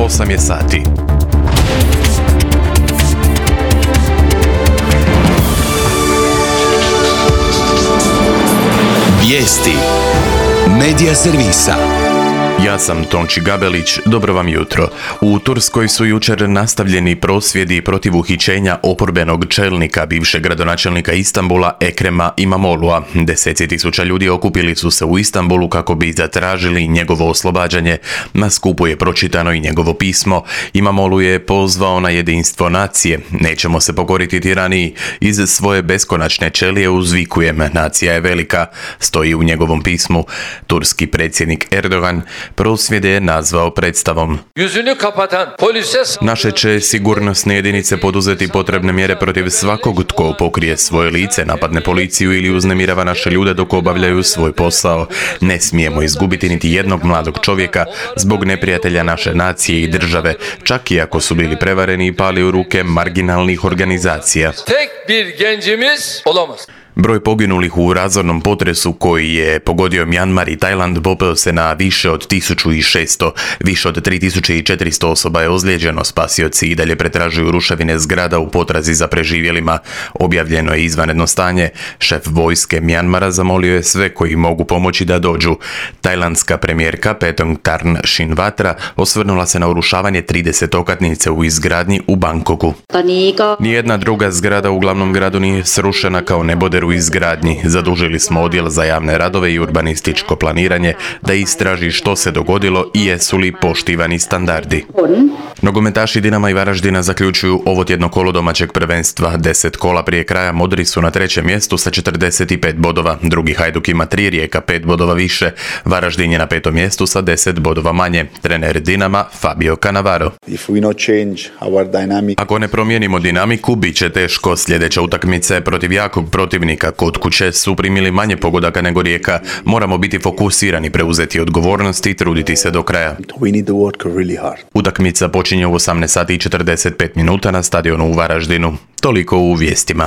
8 je sati. Vijesti Medija servisa. Ja sam Tonči Gabelić, dobro vam jutro. U Turskoj su jučer nastavljeni prosvjedi protiv uhićenja oporbenog čelnika, bivšeg gradonačelnika Istanbula Ekrema Imamoglu'a. Deseci tisuća ljudi okupili su se u Istanbulu kako bi zatražili njegovo oslobađanje. Na skupu je pročitano i njegovo pismo. Imamoglu je pozvao na jedinstvo nacije. Nećemo se pokoriti tiraniji. Iz svoje beskonačne čelije uzvikujem, nacija je velika, stoji u njegovom pismu. Turski predsjednik Erdogan prosvjede je nazvao predstavom. Naše će sigurnosne jedinice poduzeti potrebne mjere protiv svakog tko pokrije svoje lice, napadne policiju ili uznemirava naše ljude dok obavljaju svoj posao. Ne smijemo izgubiti niti jednog mladog čovjeka zbog neprijatelja naše nacije i države, čak i ako su bili prevareni i pali u ruke marginalnih organizacija. Broj poginulih u razornom potresu koji je pogodio Mjanmar i Tajland popeo se na više od 1600. Više od 3400 osoba je ozlijeđeno, spasioci i dalje pretražuju ruševine zgrada u potrazi za preživjelima. Objavljeno je izvanredno stanje. Šef vojske Mjanmara zamolio je sve koji mogu pomoći da dođu. Tajlandska premijerka Paetongtarn Shinawatra osvrnula se na urušavanje 30 okatnice u izgradnji u Bangkoku. Nijedna druga zgrada u glavnom gradu nije srušena kao neboder u izgradnji. Zadužili smo odjel za javne radove i urbanističko planiranje da istraži što se dogodilo i jesu li poštivani standardi. Nogometaši Dinama i Varaždina zaključuju ovotjedno kolo domaćeg prvenstva. 10 kola prije kraja modri su na trećem mjestu sa 45 bodova. Drugi Hajduk ima 3, Rijeka 5 bodova više. Varaždin je na 5. mjestu sa 10 bodova manje. Trener Dinama Fabio Cannavaro. Ako ne promijenimo dinamiku, bit će teško. Sljedeća utakmica je protiv jakog protivnika. Kod kuće su primili manje pogodaka nego Rijeka. Moramo biti fokusirani, preuzeti odgovornost i truditi se do kraja. Utakmica počinje u 18 sati i 45 minuta na stadionu u Varaždinu. Toliko u vijestima.